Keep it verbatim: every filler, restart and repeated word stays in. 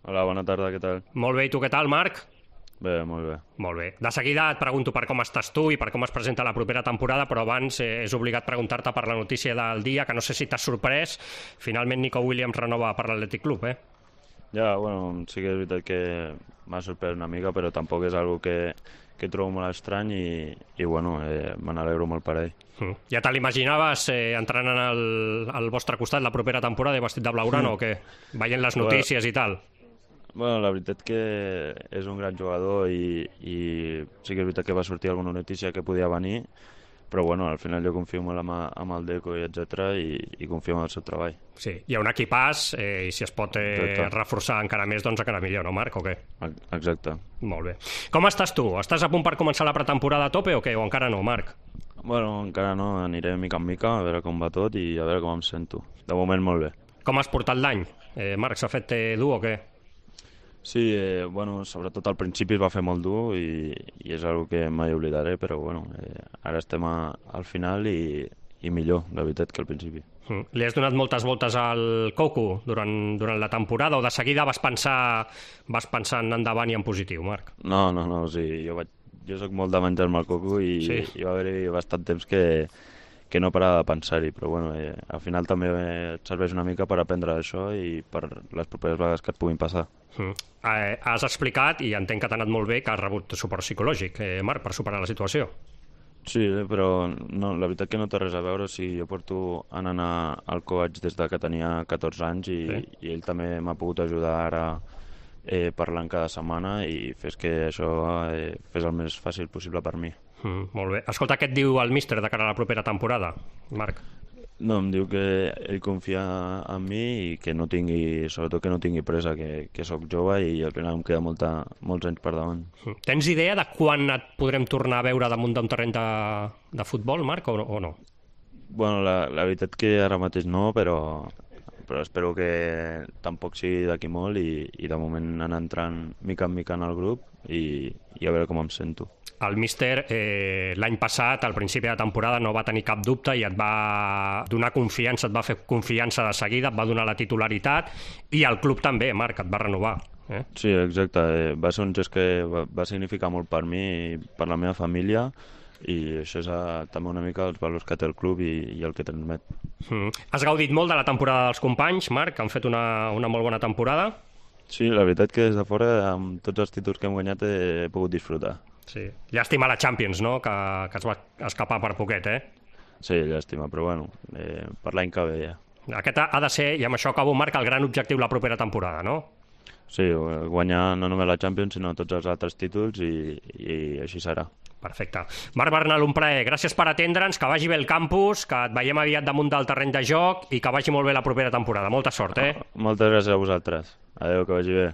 Hola, bona tarda, què tal? Molt bé, i tu què tal, Marc? Bé, molt bé. Molt bé. De seguida et pregunto per com estàs tu i per com es presenta la propera temporada, però abans eh, és obligat preguntar-te per la notícia del dia, que no sé si t'has sorprès. Finalment Nico Williams renova per l'Atlètic Club, eh? Ja, bueno, sí que és veritat que m'ha sorprès una mica, però tampoc és algo que, que trobo molt estrany i, i bueno, eh, me n'alegro molt per ell. Mm. Ja te l'imaginaves eh, entrant en el, al vostre costat la propera temporada i vestit de blaugrana mm. o què? Veient les notícies bueno, i tal. Bueno, la veritat que és un gran jugador i, i sí que és veritat que va sortir alguna notícia que podia venir, però bueno, al final jo confio molt amb, amb el Deco i etcètera i, i confio en el seu treball. Sí, hi ha un equipàs eh, i si es pot eh, reforçar encara més, doncs encara millor, no, Marc, o què? Exacte. Molt bé. Com estàs tu? Estàs a punt per començar la pretemporada a tope o què? O encara no, Marc? Bueno, encara no, aniré mica en mica, a veure com va tot i a veure com em sento. De moment molt bé. Com has portat l'any? Eh, Marc, s'ha fet eh, dur o què? Sí, eh, bueno, sobretot al principi es va fer molt dur i, i és una que mai oblidaré, però bueno, eh, ara estem a, al final i, i millor, la veritat, que al principi. Mm. Li has donat moltes voltes al Coco durant, durant la temporada o de seguida vas pensar, vas pensar en endavant i en positiu, Marc? No, no, no, o sigui, jo, vaig, jo soc molt de menjar-me el Coco i sí. hi va haver bastant temps que, que no parava de pensar-hi, però bueno, eh, al final també et serveix una mica per aprendre això i per les properes vegades que et puguin passar. Mm. Eh, has explicat, i entenc que t'ha anat molt bé, que has rebut suport psicològic, eh, Marc, per superar la situació. Sí, però no, la veritat que no té res a veure. O sigui, jo porto anant al coach des de que tenia catorze anys i, sí. i ell també m'ha pogut ajudar ara eh, parlant cada setmana i fes que això eh, fes el més fàcil possible per mi. Mm, molt bé. Escolta, què et diu el míster de cara a la propera temporada, Marc? No, em diu que ell confia en mi i que no tingui, sobretot que no tingui pressa, que, que sóc jove i al final em queda molta, molts anys per davant. Tens idea de quan et podrem tornar a veure damunt d'un terreny de, de futbol, Marc, o, o no? Bueno, la, la veritat que ara mateix no, però, però espero que tampoc sigui d'aquí molt i, i de moment anar entrant mica en mica en el grup i, i a veure com em sento. El míster eh, l'any passat, al principi de temporada, no va tenir cap dubte i et va donar confiança, et va fer confiança de seguida, et va donar la titularitat i el club també, Marc, et va renovar. Eh? Sí, exacte. Eh, va ser un gest que va, va significar molt per mi i per la meva família i això és a, també una mica els valors que té el club i, i el que transmet. Mm. Has gaudit molt de la temporada dels companys, Marc, que han fet una, una molt bona temporada? Sí, la veritat que des de fora, amb tots els títols que hem guanyat, he, he pogut disfrutar. Sí. Llàstima la Champions, no?, que, que es va escapar per poquet, eh? Sí, llàstima, però bueno, eh, per l'any que ve ja. Aquest ha de ser, i amb això acabo, Marc, el gran objectiu la propera temporada, no? Sí, guanyar no només la Champions, sinó tots els altres títols i, i així serà. Perfecte. Marc Bernal, un plaer. Gràcies per atendre'ns, que vagi bé el campus, que et veiem aviat damunt del terreny de joc i que vagi molt bé la propera temporada. Molta sort, eh? Moltes gràcies a vosaltres. Adéu, que vagi bé.